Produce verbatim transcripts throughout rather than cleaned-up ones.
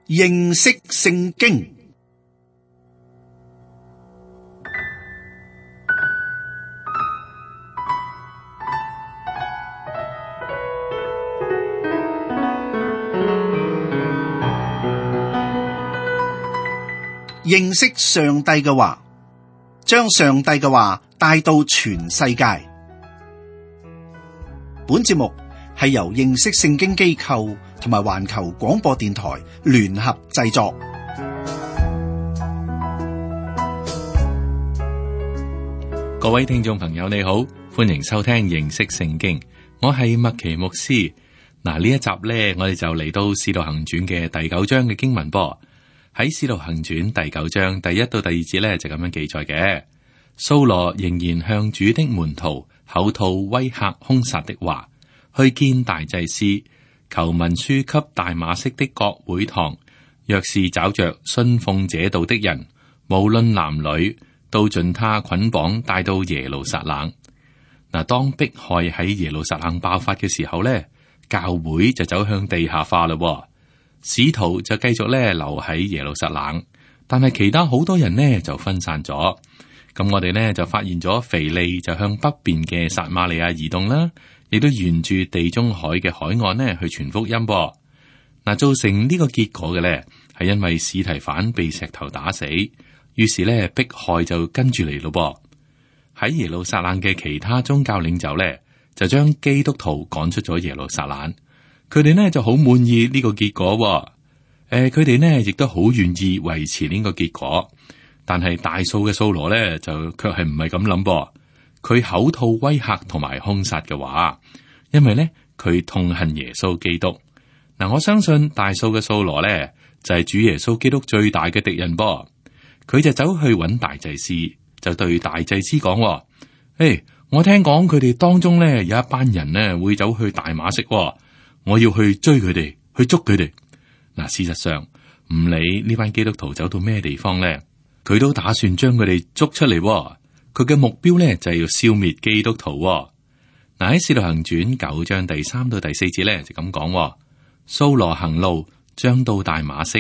認識聖經。認識上帝嘅話，將上帝嘅話帶到全世界。本節目係由認識聖經機構同埋環球廣播電台聯合製作。各位聽眾朋友你好，歡迎收聽認識聖經，我係麥奇牧師。嗱，呢一集呢，我哋就嚟到使徒行傳嘅第九章嘅經文噃。喺使徒行傳第九章第一到第二節呢，就咁樣記載嘅。掃羅仍然向主的門徒口吐威嚇兇殺的話，去見大祭司，求文書給大馬色的各會堂，若是找着信奉這道的人，無論男女，都盡他捆綁帶到耶路撒冷。嗱，當迫害喺耶路撒冷爆發嘅時候呢，教會就走向地下化啦。使徒就繼續咧留喺耶路撒冷，但係其他好多人呢就分散咗。咁我哋呢就發現咗腓利就向北邊嘅撒瑪利亞移動啦，亦都沿住地中海嘅海岸呢去傳福音噃。嗱，造成呢個結果嘅呢係因為司提反被石頭打死，於是呢迫害就跟住嚟咯噃。喺耶路撒冷嘅其他宗教領袖呢，就將基督徒趕出咗耶路撒冷。佢哋呢就好滿意呢個結果，誒、呃，佢哋呢亦都好願意維持呢個結果，但係大數嘅掃羅呢就卻係唔係咁諗噃，佢口吐威嚇同埋兇殺嘅話，因為呢佢痛恨耶穌基督。嗱、呃，我相信大數嘅掃羅呢就係、是、主耶穌基督最大嘅敵人噃，佢就走去揾大祭司，就對大祭司講：，誒、hey，我聽講佢哋當中呢有一班人呢會走去大馬色。我要去追佢哋，去捉佢哋。嗱，事實上唔理呢班基督徒走到咩地方咧，佢都打算將佢哋捉出嚟。佢嘅目標咧就係要消滅基督徒。嗱，喺《使徒行傳》九章第三到第四節咧就咁講：掃羅行路，將到大馬色，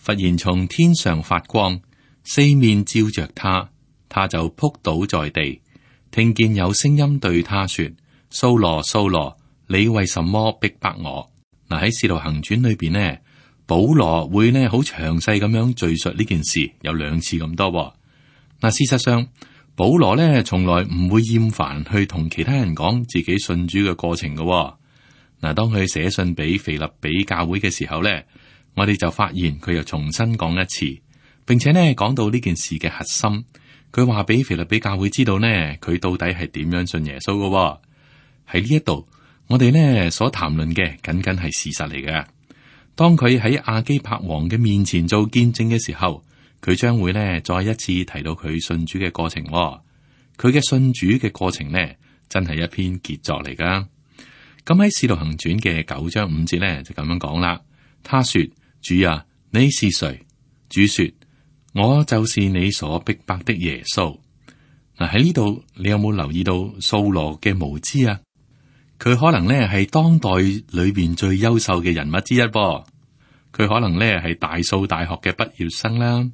忽然從天上發光，四面照着他，他就仆倒在地，聽見有聲音對他說：掃羅，掃羅，你為什麼逼迫我？嗱，喺《使徒行傳》裏邊呢，保羅會呢好詳細咁樣敘述呢件事，有兩次咁多。嗱，事實上，保羅呢從來唔會厭煩去同其他人講自己信主嘅過程嘅。嗱，當佢寫信俾腓立比教會嘅時候呢，我哋就發現佢又重新講一次，並且呢講到呢件事嘅核心。佢話俾腓立比教會知道呢，佢到底係點樣信耶穌嘅。喺呢一度。我哋呢所談論嘅僅僅係事實嚟嘅。當佢喺亞基帕王嘅面前做見證嘅時候，佢將會呢再一次提到佢信主嘅過程。佢嘅信主嘅過程呢，真係一篇傑作嚟噶。咁喺《使徒行傳》嘅九章五節呢，就咁樣講啦。他說：主啊，你是誰？主說：我就是你所逼迫的耶穌。嗱，喺呢度，你有冇留意到掃羅嘅無知啊？佢可能咧係當代裏邊最優秀嘅人物之一噃，佢可能咧係大數大學嘅畢業生啦，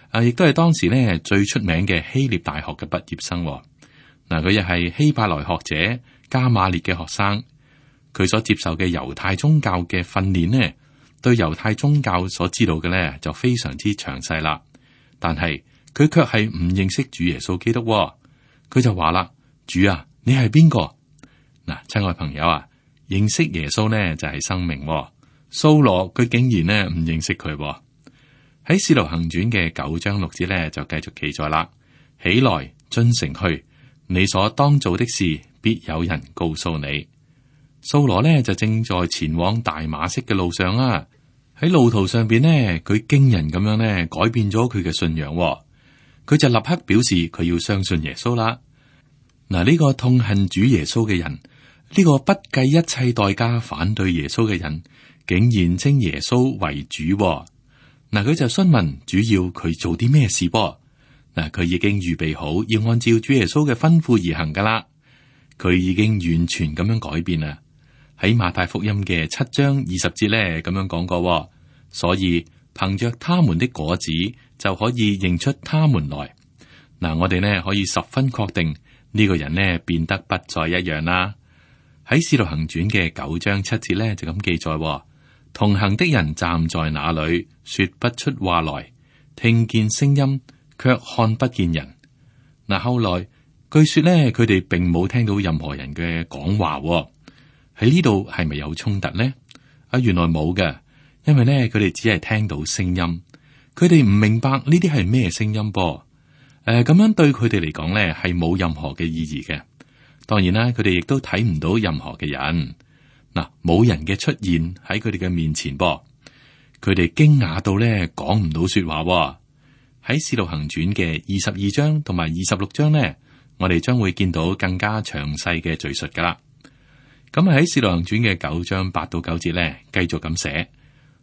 啊，亦都係當時咧最出名嘅希臘大學嘅畢業生。嗱，佢又係希伯來學者加馬列嘅學生，佢所接受嘅猶太宗教嘅訓練呢，對猶太宗教所知道嘅咧就非常之詳細啦。但係佢卻係唔認識主耶穌基督，佢就話啦：主啊，你係邊個？嗱，親愛朋友啊，認識耶穌呢就係生命。掃羅佢竟然呢唔認識佢。喺《使徒行傳》嘅九章六節呢就繼續記載啦：起來，進城去，你所當做的事，必有人告訴你。掃羅呢就正在前往大馬色嘅路上啊。喺路途上邊呢，佢驚人咁樣呢改變咗佢嘅信仰。佢就立刻表示佢要相信耶穌啦。嗱，呢個痛恨主耶穌嘅人。呢個不計一切代價反對耶穌嘅人，竟然稱耶穌為主。嗱，佢就詢問主要佢做啲咩事噃？嗱，佢已經預備好要按照主耶穌嘅吩咐而行噶啦。佢已經完全咁樣改變啦。喺馬太福音嘅七章二十節咧，咁樣講過，所以憑着他們的果子就可以認出他們來。嗱，我哋呢可以十分確定呢個人呢變得不再一樣啦。喺《使徒行傳》嘅九章七節呢就咁記載：同行的人站在那裏，說不出話來，聽見聲音，卻看不見人。嗱，後來據說呢，佢哋並冇聽到任何人嘅講話。喺呢度係咪有衝突呢？啊，原來冇嘅。因為咧，佢哋只係聽到聲音，佢哋唔明白呢啲係咩聲音噃。誒、呃，咁樣對佢哋嚟講咧，係冇任何嘅意義嘅。當然啦，佢哋亦都睇唔到任何嘅人。嗱，冇人嘅出現喺佢哋嘅面前噃，佢哋驚訝到咧講唔到說話。喺《使徒行傳》嘅二十二章同埋二十六章咧，我哋將會見到更加詳細嘅敘述噶啦。咁喺《使徒行傳》嘅九章八到九節咧，繼續咁寫。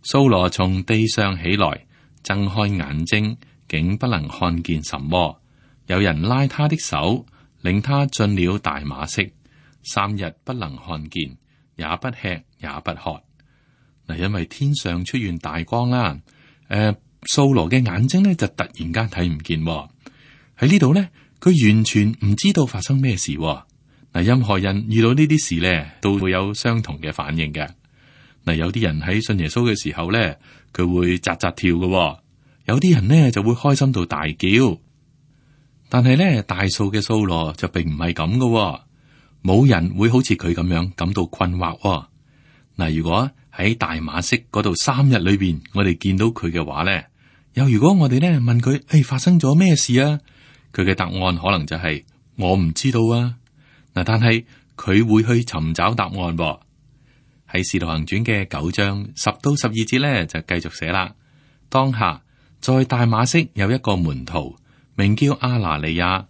掃羅從地上起來，睜開眼睛，竟不能看見什麼。有人拉他的手，領他進了大馬色，三日不能看見，也不吃也不喝。嗱，因為天上出現大光啦，誒、呃，掃羅嘅眼睛咧就突然間睇唔見。喺呢度咧，佢完全唔知道發生咩事。嗱，任何人遇到呢啲事咧，都會有相同嘅反應嘅。嗱，有啲人喺信耶穌嘅時候咧，佢會扎扎跳嘅；有啲人呢就會開心到大叫。但係咧，大數嘅掃羅就並唔係咁嘅，冇人會好似佢咁樣感到困惑。嗱，如果喺大馬色嗰度三日裏邊，我哋見到佢嘅話咧，又如果我哋咧問佢，誒、哎，發生咗咩事啊？佢嘅答案可能就係、是、我唔知道啊。嗱，但係佢會去尋找答案。喺《使徒行傳》嘅九章十到十二節咧，就繼續寫啦。當下在大馬色有一個門徒，名叫阿拿尼亞。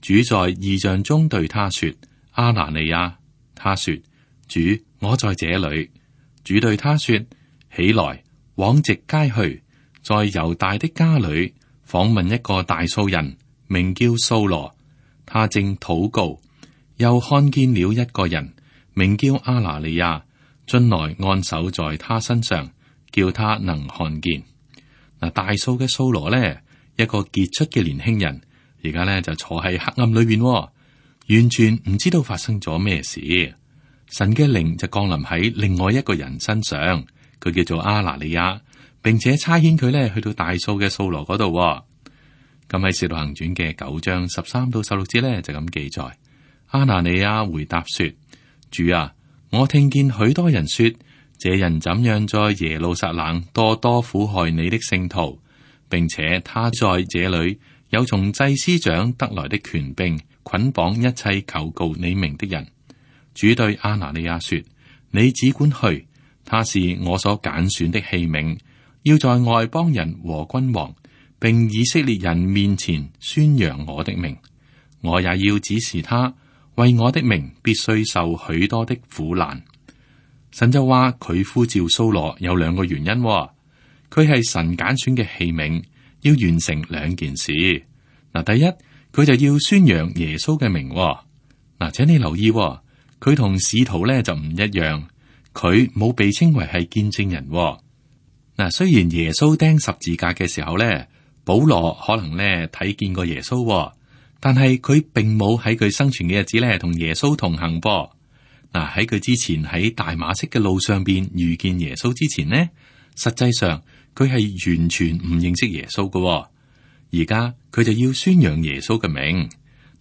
主在異象中對他說：阿拿尼亞。他說：主，我在這裏。主對他說：起來，往直街去，在猶大的家裏訪問一個大數人，名叫掃羅。他正禱告，又看見了一個人，名叫阿拿尼亞。進來按手在他身上，叫他能看見。嗱，大數嘅掃羅咧，一個傑出嘅年輕人，而家咧就坐喺黑暗裏邊，完全唔知道發生咗咩事。神嘅靈就降臨喺另外一個人身上，佢叫做阿拿尼亞，並且差遣佢咧去到大數嘅掃羅嗰度。咁喺《使徒行傳》嘅九章十三到十六節咧就咁記載。阿拿尼亞回答說：主啊，我聽見許多人說，這人怎樣在耶路撒冷多多苦害你的聖徒，並且他在這裏有從祭司長得來的權柄，捆綁一切求告你名的人。主對阿拿尼亞說：你只管去，他是我所揀選的器皿，要在外邦人和君王並以色列人面前宣揚我的名。我也要指示他，為我的名必須受許多的苦難。神就話佢呼召掃羅有兩個原因，佢係神揀選嘅器皿，要完成兩件事。嗱，第一，佢就要宣揚耶穌嘅名。嗱，請你留意，佢同使徒咧就唔一樣，佢冇被稱為係見證人。嗱，雖然耶穌釘十字架嘅時候咧，保羅可能咧睇見過耶穌。但係佢並冇喺佢生存嘅日子咧，同耶穌同行噃。嗱，喺佢之前喺大馬色嘅路上邊遇見耶穌之前呢，實際上佢係完全唔認識耶穌嘅。而家佢就要宣揚耶穌嘅名。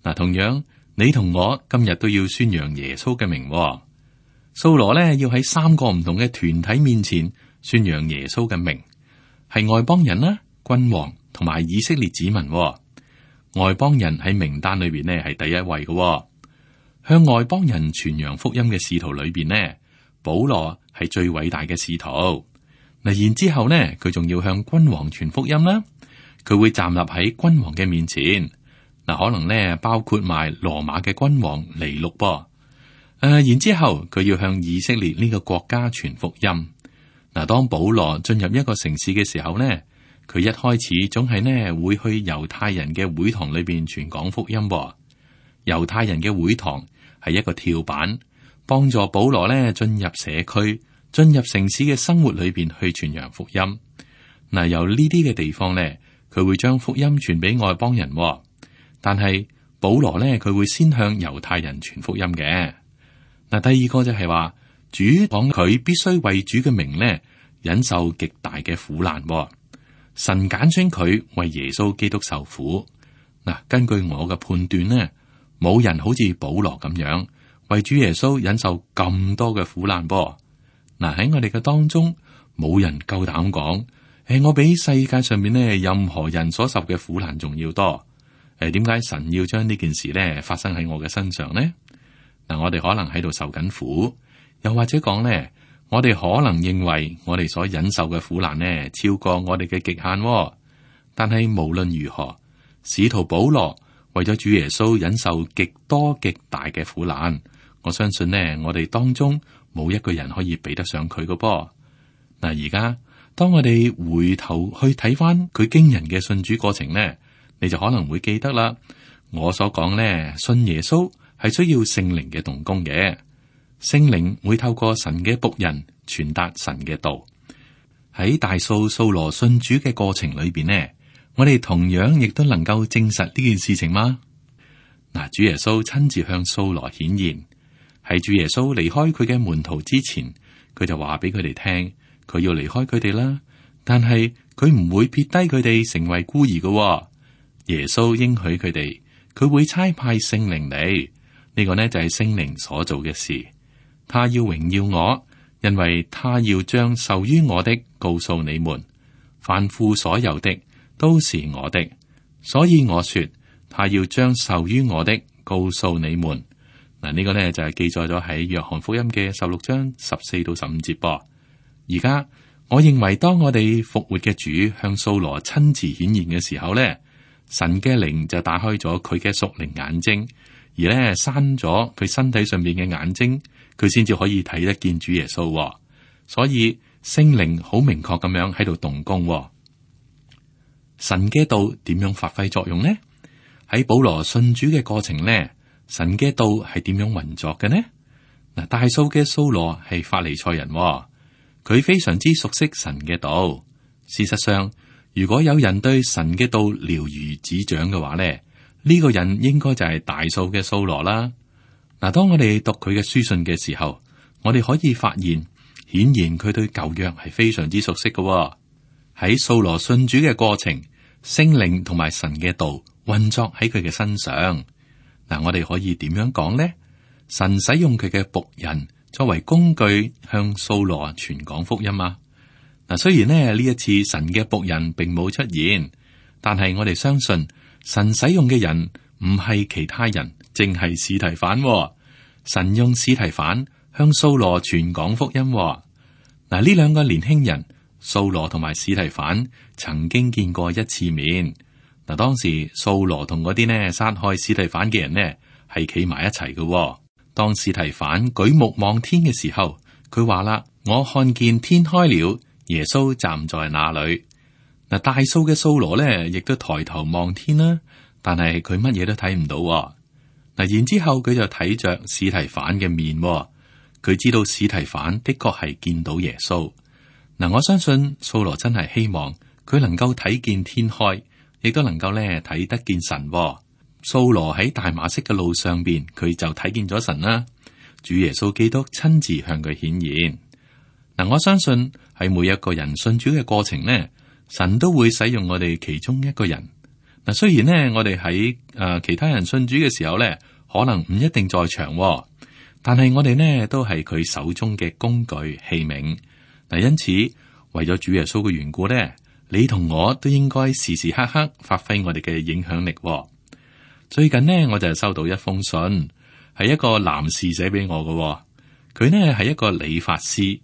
嗱，同樣你同我今日都要宣揚耶穌嘅名。掃羅咧要喺三個唔同嘅團體面前宣揚耶穌嘅名，係外邦人啦、君王同埋以色列子民。外邦人喺名單裏邊呢係第一位嘅。向外邦人傳揚福音嘅使徒裏邊呢，保羅係最偉大嘅使徒。嗱，然之後呢，佢仲要向君王傳福音啦，佢會站立喺君王嘅面前。嗱，可能呢包括埋羅馬嘅君王尼祿噃。誒、呃，然之後佢要向以色列呢個國家傳福音。嗱，當保羅進入一個城市嘅時候呢，佢一開始總係呢會去猶太人嘅會堂裏邊傳講福音。猶太人嘅會堂係一個跳板，幫助保羅呢進入社區、進入城市嘅生活裏邊去傳揚福音。嗱，由呢啲嘅地方咧，佢會將福音傳俾外邦人，但係保羅咧，佢會先向猶太人傳福音嘅。嗱，第二個就係話，主講佢必須為主嘅名咧，忍受極大嘅苦難。神揀選佢為耶穌基督受苦。嗱，根據我嘅判斷呢，冇人好似保羅咁樣為主耶穌忍受咁多嘅苦難噃。嗱，喺我哋嘅當中，冇人夠膽講，誒，我比世界上面呢任何人所受嘅苦難仲要多。誒，點解神要將呢件事呢發生喺我嘅身上呢？嗱，我哋可能喺度受緊苦，又或者講呢，我哋可能認為我哋所忍受嘅苦難呢超過我哋嘅極限。但係無論如何，使徒保羅為咗主耶穌忍受極多極大嘅苦難，我相信呢，我哋當中冇一個人可以比得上佢嘅噃。嗱，而家當我哋回頭去睇翻佢驚人嘅信主過程呢，你就可能會記得啦。我所講呢，信耶穌係需要聖靈嘅動工嘅，聖靈會透過神嘅僕人傳達神嘅道。喺大數掃羅信主嘅過程裏邊呢，我哋同樣亦都能夠證實呢件事情嗎？嗱，主耶穌親自向掃羅顯現，喺主耶穌離開佢嘅門徒之前，佢就話俾佢哋聽，佢要離開佢哋啦，但係佢唔會撇低佢哋成為孤兒嘅。耶穌應許佢哋，佢會差派聖靈嚟，呢個呢就係聖靈所做嘅事。他要榮耀我，因為他要將受於我的告訴你們，凡父所有的都是我的，所以我說他要將受於我的告訴你們。嗱，呢個呢就係記載咗喺約翰福音嘅十六章十四到十五節噃。而家我認為，當我哋復活嘅主向掃羅親自顯現嘅時候呢，神嘅靈就打開咗佢嘅屬靈眼睛，而呢閂咗佢身體上面嘅眼睛，佢先至可以睇得見主耶穌。所以聖靈好明確咁樣喺度動工。神嘅道點樣發揮作用呢？喺保羅信主嘅過程呢，神嘅道係點樣運作嘅呢？嗱，大數嘅掃羅係法利賽人，佢非常之熟悉神嘅道。事實上，如果有人對神嘅道了如指掌嘅話咧，呢個人應該就係大數嘅掃羅啦。嗱，當我哋讀佢嘅書信嘅時候，我哋可以發現，顯然佢對舊約係非常之熟悉嘅。喺掃羅信主嘅過程，聖靈同埋神嘅道運作喺佢嘅身上。嗱，我哋可以點樣講呢？神使用佢嘅僕人作為工具，向掃羅傳講福音啊！嗱，雖然呢呢一次神嘅僕人並冇出現，但係我哋相信神使用嘅人唔係其他人，淨係司提反。神用司提反向掃羅傳講福音。嗱，呢兩個年輕人，掃羅同埋司提反曾經見過一次面。嗱，當時掃羅同嗰啲呢殺害司提反嘅人呢係企埋一齊嘅。當司提反舉目望天嘅時候，佢話啦：我看見天開了，耶穌站在那裏。嗱，大數嘅掃羅呢亦都抬頭望天啦，但係佢乜嘢都睇唔到。嗱，然之後佢就睇着司提反嘅面，佢知道司提反的確係見到耶穌。嗱，我相信掃羅真係希望佢能夠睇見天開，亦都能夠咧睇得見神。掃羅喺大馬色嘅路上邊，佢就睇見咗神啦。主耶穌基督親自向佢顯現。嗱，我相信喺每一個人信主嘅過程呢，神都會使用我哋其中一個人。嗱，雖然呢，我哋喺誒其他人信主嘅時候呢，可能唔一定在場，但係我哋呢都係佢手中嘅工具器皿。嗱，因此為咗主耶穌嘅緣故呢，你同我都應該時時刻刻發揮我哋嘅影響力。最近呢，我就收到一封信，係一個男士寫俾我嘅。佢呢係一個理髮師，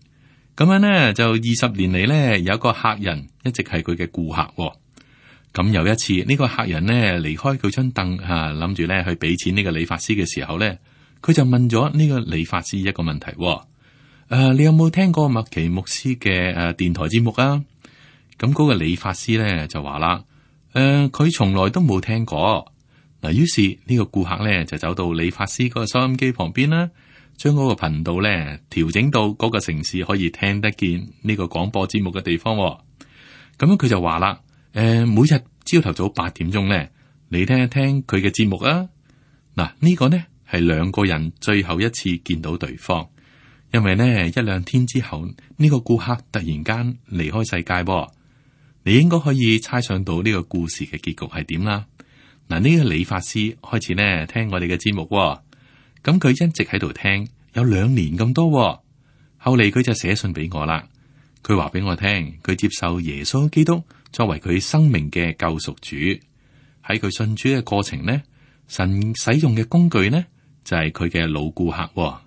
咁樣呢，就二十年嚟呢，有一個客人一直係佢嘅顧客。咁有一次呢、呢個客人呢離開佢張凳吓，諗住呢去俾錢呢個理髮師嘅時候呢，佢就問咗呢個理髮師一個問題：誒、呃，你有冇聽過麥奇牧師嘅誒電台節目啊？咁嗰個理髮師呢就話啦：誒、呃，佢從來都冇聽過。嗱，於是呢個顧客咧就走到理髮師嗰個收音機旁邊啦，將嗰個頻道咧調整到嗰個城市可以聽得見呢個廣播節目嘅地方。咁樣佢就話啦，誒、呃，每日朝頭早八點鐘咧，你聽一聽佢嘅節目啊。嗱，呢個呢係兩個人最後一次見到對方，因為呢一兩天之後呢、呢個顧客突然間離開世界噃。你應該可以猜想到呢個故事嘅結局係點啦。嗱，呢個理髮師開始呢聽我哋嘅節目，咁佢一直喺度聽，有兩年咁多。後嚟佢就寫信俾我啦，佢話俾我聽，佢接受耶穌基督作為佢生命嘅救贖主。喺佢信主嘅過程呢，神使用嘅工具呢就係佢嘅老顧客。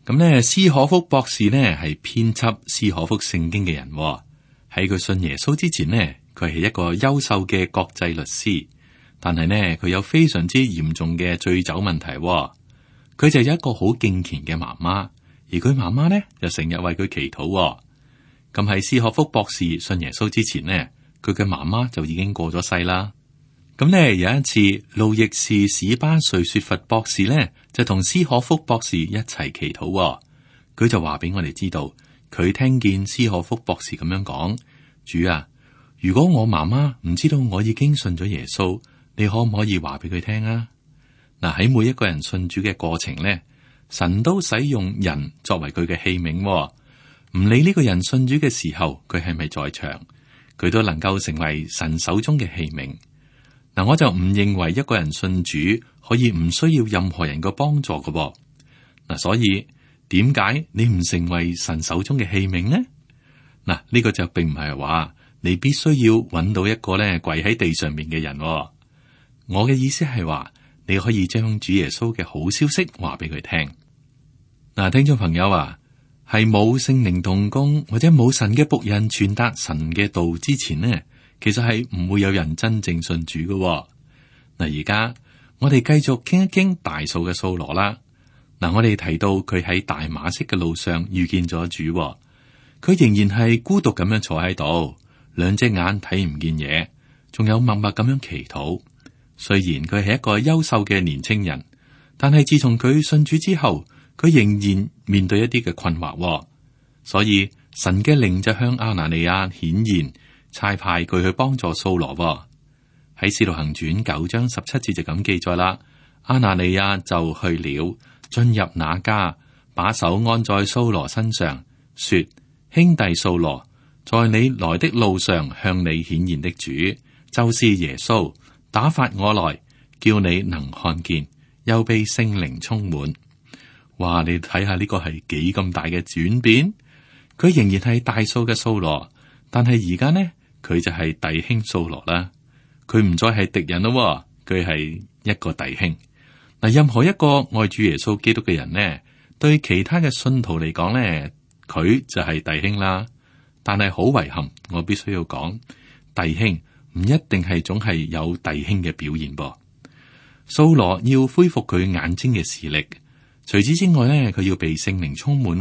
咁呢，斯可福博士呢係編輯斯可福聖經嘅人。喺佢信耶穌之前呢，佢係一個優秀嘅國際律師，但係呢，佢有非常之嚴重嘅醉酒問題。佢就有一個好敬虔嘅媽媽，而佢媽媽呢就成日為佢祈禱。咁喺斯可福博士信耶穌之前呢，佢嘅媽媽就已經過咗世啦。咁呢，有一次，路易士史巴瑞雪佛博士呢就同斯可福博士一齊祈禱，佢就話俾我哋知道。佢聽見斯可福博士咁樣講：主啊，如果我媽媽唔知道我已經信咗耶穌，你可唔可以話俾佢聽啊？嗱，喺每一個人信主嘅過程咧，神都使用人作為佢嘅器皿，唔理呢個人信主嘅時候佢係咪在場，佢都能夠成為神手中嘅器皿。嗱，我就唔認為一個人信主可以唔需要任何人嘅幫助嘅噃。嗱，所以。點解你唔成為神手中嘅器皿呢？嗱，呢個就並唔係話你必須要揾到一個咧跪喺地上面嘅人。我嘅意思係話，你可以將主耶穌嘅好消息話俾佢聽。嗱，聽眾朋友啊，係冇聖靈同工或者冇神嘅僕人傳達神嘅道之前呢，其實係唔會有人真正信主嘅。嗱，而家我哋繼續傾一傾大數嘅掃羅啦。嗱，我哋提到佢喺大馬色嘅路上遇見咗主，佢仍然係孤獨咁樣坐喺度，兩隻眼睇唔見嘢，仲有默默咁樣祈禱。雖然佢係一個優秀嘅年青人，但係自從佢信主之後，佢仍然面對一啲嘅困惑，所以神嘅靈就向亞拿尼亞顯現，差派佢去幫助掃羅。喺《使徒行傳》九章十七節就咁記載啦，亞拿尼亞就去了。進入那家，把手按在掃羅身上，說：兄弟掃羅，在你來的路上向你顯現的主，就是耶穌，打發我來，叫你能看見，又被聖靈充滿。哇！你睇下呢個係幾咁大嘅轉變？佢仍然係大數嘅掃羅，但係而家呢，佢就係弟兄掃羅啦。佢唔再係敵人咯，佢係一個弟兄。嗱，任何一個愛主耶穌基督嘅人呢，對其他嘅信徒嚟講呢，佢就係弟兄啦。但係好遺憾，我必須要講，弟兄唔一定係總係有弟兄嘅表現噃。掃羅要恢復佢眼睛嘅視力，除此之外呢，佢要被聖靈充滿。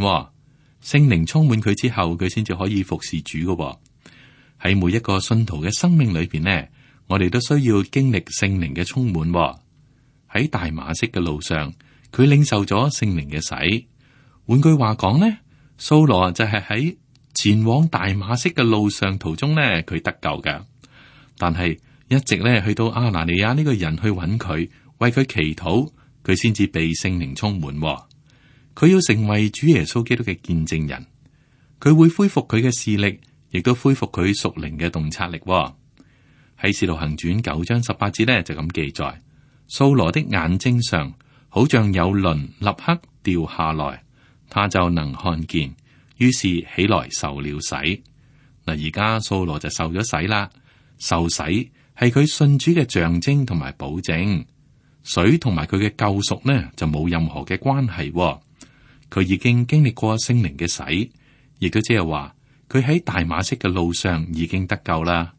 聖靈充滿佢之後，佢先至可以服侍主嘅。喺每一個信徒嘅生命裏邊呢，我哋都需要經歷聖靈嘅充滿。喺大馬色嘅路上，佢領受咗聖靈嘅洗。換句話講呢，掃羅就係喺前往大馬色嘅路上途中呢，佢得救㗎。但係一直咧去到亞拿尼亞呢個人去揾佢，為佢祈禱，佢先至被聖靈充滿。佢要成為主耶穌基督嘅見證人，佢會恢復佢嘅視力，亦都恢復佢屬靈嘅洞察力。喺使徒行傳九章十八節呢，就咁記載。掃羅的眼睛上好像有鱗立刻掉下來，他就能看見，於是起來受了洗。嗱，而家掃羅就受咗洗啦。受洗係佢信主嘅象徵同埋保證，水同埋佢嘅救贖呢就冇任何嘅關係。佢已經經歷過聖靈嘅洗，亦都即係話佢喺大馬色嘅路上已經得救啦。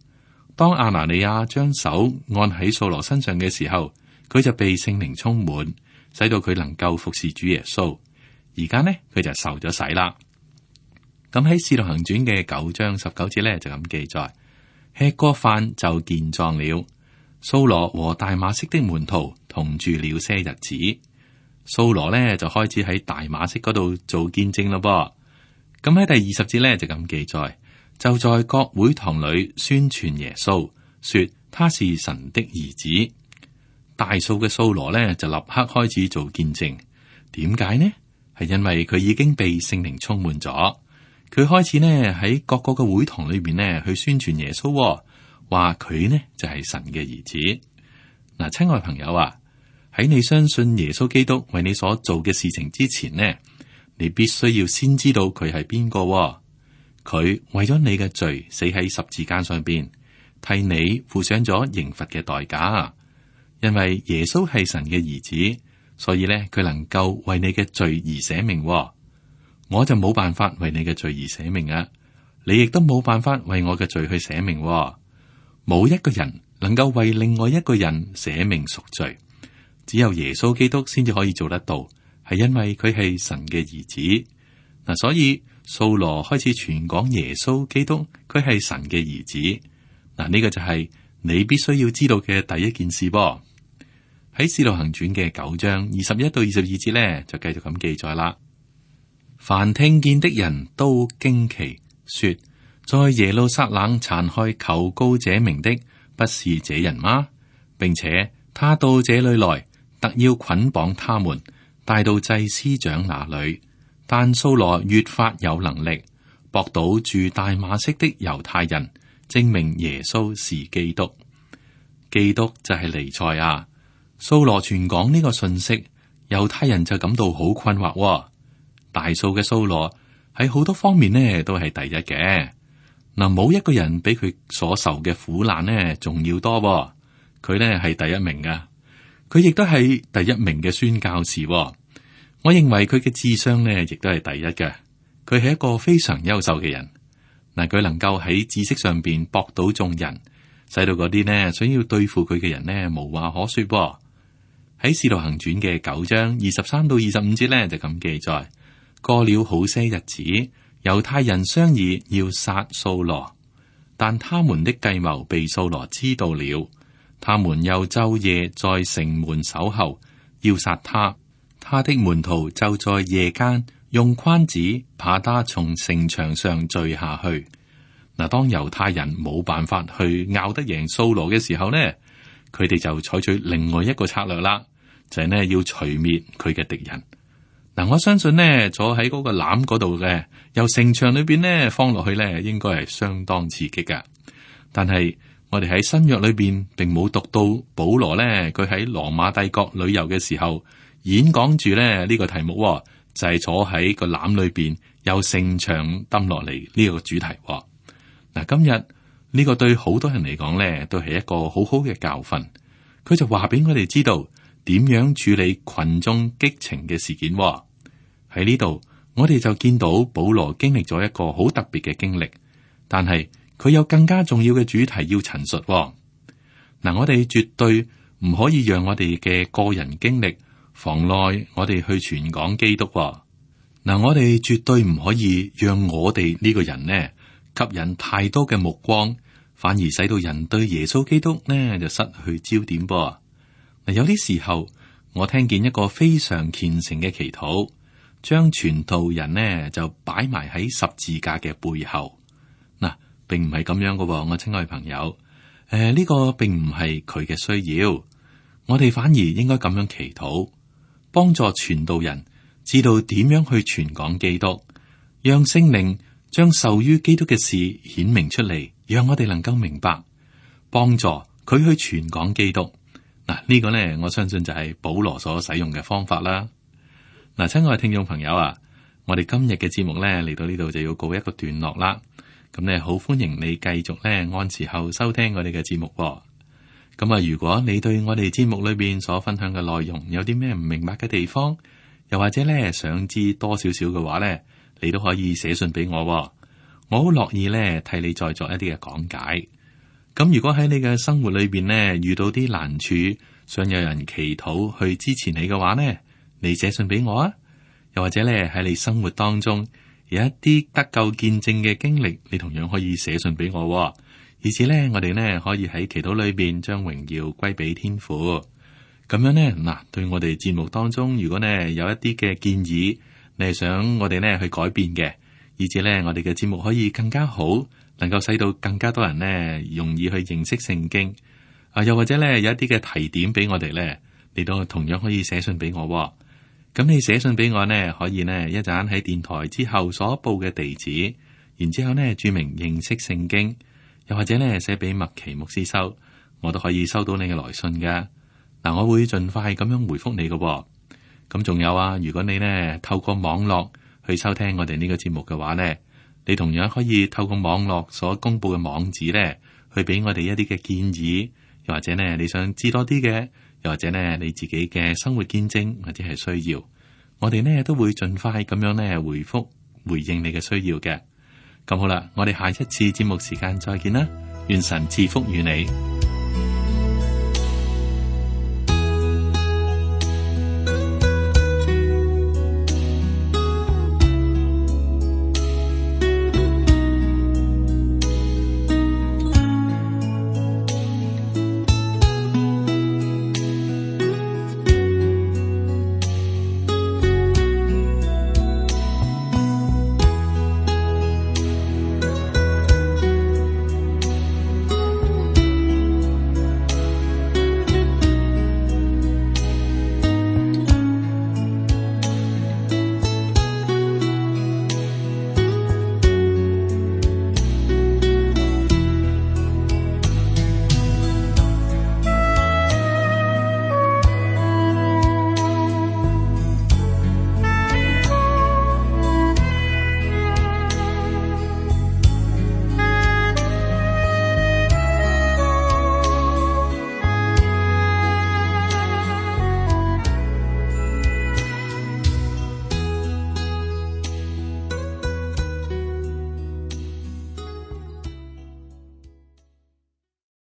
當亞拿尼亞將手按喺掃羅身上嘅時候，佢就被聖靈充滿，使到佢能夠服侍主耶穌。而家呢，佢就受咗洗啦。咁喺《使徒行傳》嘅九章十九節咧，就咁記載：吃過飯就健壯了。掃羅和大馬色的門徒同住了些日子。掃羅咧就開始喺大馬色嗰度做見證咯噃。咁喺第二十節咧就咁記載：就在各會堂裏宣傳耶穌，說他是神的兒子。大數嘅掃羅呢，就立刻開始做見證。點解呢？係因為佢已經被聖靈充滿咗，佢開始呢喺各個嘅會堂裏邊呢去宣傳耶穌，話佢呢就係神嘅兒子。嗱，親愛朋友啊，喺你相信耶穌基督為你所做嘅事情之前呢，你必須要先知道佢係邊個。佢為咗你嘅罪死喺十字架上邊，替你付上咗刑罰嘅代價。因為耶穌係神嘅兒子，所以咧佢能夠為你嘅罪而捨命。我就冇辦法為你嘅罪而捨命啊！你亦都冇辦法為我嘅罪去捨命。冇一個人能夠為另外一個人捨命贖罪，只有耶穌基督先至可以做得到。係因為佢係神嘅兒子嗱，所以掃羅開始傳講耶穌基督，佢係神嘅兒子嗱。呢個就係你必須要知道嘅第一件事噃。喺《使徒行傳》嘅九章二十一到二十二節咧，就繼續咁記載啦。凡聽見的人都驚奇，說：在耶路撒冷殘害求告這名的，不是這人嗎？並且他到這裏來，特要捆綁他們，帶到祭司長那裏。但掃羅越發有能力，駁倒住大馬色的猶太人，證明耶穌是基督。基督就係彌賽亞。掃羅傳講呢個信息，猶太人就感到好困惑、哦。大數嘅掃羅喺好多方面呢都係第一嘅。嗱，冇一個人比佢所受嘅苦難呢仲要多、哦。佢呢係第一名噶，佢亦都係第一名嘅宣教士、哦。我認為佢嘅智商呢亦都係第一嘅。佢係一個非常優秀嘅人。嗱，佢能夠喺知識上邊駁倒眾人，使到嗰啲呢想要對付佢嘅人呢無話可說、哦。喺《使徒行傳》嘅九章二十三到二十五節咧，就咁記載：過了好些日子，猶太人商議要殺掃羅，但他們的計謀被掃羅知道了，他們又晝夜在城門守候，要殺他。他的門徒就在夜間用筐子把他從城牆上墜下去。嗱，當猶太人冇辦法去拗得贏掃羅嘅時候呢，佢哋就採取另外一個策略啦。就係呢，要除滅佢嘅敵人。嗱，我相信呢，坐喺嗰個籃嗰度嘅，由城牆裏邊呢放落去呢，應該係相當刺激噶。但係我哋喺新約裏邊，並冇讀到保羅呢，佢喺羅馬帝國旅遊嘅時候演講住呢呢個題目，就係坐喺個籃裏邊，由城牆抌落嚟呢個主題。嗱，今日呢個對好多人嚟講呢，都係一個好好嘅教訓。佢就話俾我哋知道。點樣處理群眾激情嘅事件？喺呢度，我哋就見到保羅經歷咗一個好特別嘅經歷，但係佢有更加重要嘅主題要陳述。嗱，我哋絕對唔可以讓我哋嘅個人經歷妨礙我哋去傳講基督。嗱，我哋絕對唔可以讓我哋呢個人呢吸引太多嘅目光，反而使到人對耶穌基督呢就失去焦點噃。嗱，有啲時候我聽見一個非常虔誠嘅祈禱，將傳道人呢就擺埋喺十字架嘅背後。嗱，並唔係咁樣嘅，我親愛朋友，誒、呃、呢、這個並唔係佢嘅需要，我哋反而應該咁樣祈禱，幫助傳道人知道點樣去傳講基督，讓聖靈將受於基督嘅事顯明出嚟，讓我哋能夠明白，幫助佢去傳講基督。嗱，呢個呢，我相信就係保羅所使用嘅方法啦。嗱，親愛嘅聽眾朋友啊，我哋今日嘅節目呢嚟到呢度就要告一個段落啦。咁呢，好歡迎你繼續呢按時候收聽我哋嘅節目。咁啊，如果你對我哋節目裏邊所分享嘅內容有啲咩唔明白嘅地方，又或者呢想知多少少嘅話呢，你都可以寫信俾我，我好樂意呢替你再作一啲嘅講解。咁如果喺你嘅生活裏邊呢，遇到啲難處，想有人祈禱去支持你嘅話呢，你寫信俾我啊。又或者咧喺你生活當中有一啲得救見證嘅經歷，你同樣可以寫信俾我，以至呢，我哋呢可以喺祈禱裏邊將榮耀歸俾天父。咁樣呢，嗱，對我哋節目當中，如果呢有一啲嘅建議，你係想我哋呢去改變嘅，以至呢我哋嘅節目可以更加好。能夠使到更加多人呢容易去認識聖經啊，又或者咧有一啲嘅提點俾我哋咧，你都同樣可以寫信俾我喎。咁你寫信俾我呢，可以呢一陣喺電台之後所報嘅地址，然之後呢注明認識聖經，又或者呢寫俾麥奇牧師收，我都可以收到你嘅來信噶。嗱，我會盡快咁樣回覆你嘅喎。咁仲有啊，如果你呢透過網絡去收聽我哋呢個節目嘅話呢，你同樣可以透過網絡所公布嘅網址呢，去俾我哋一啲嘅建議，又或者呢你想知多啲嘅，又或者呢你自己嘅生活見證或者係需要，我哋呢都會盡快咁樣呢回覆回應你嘅需要嘅。咁好啦，我哋下一次節目時間再見啦，願神賜福與你。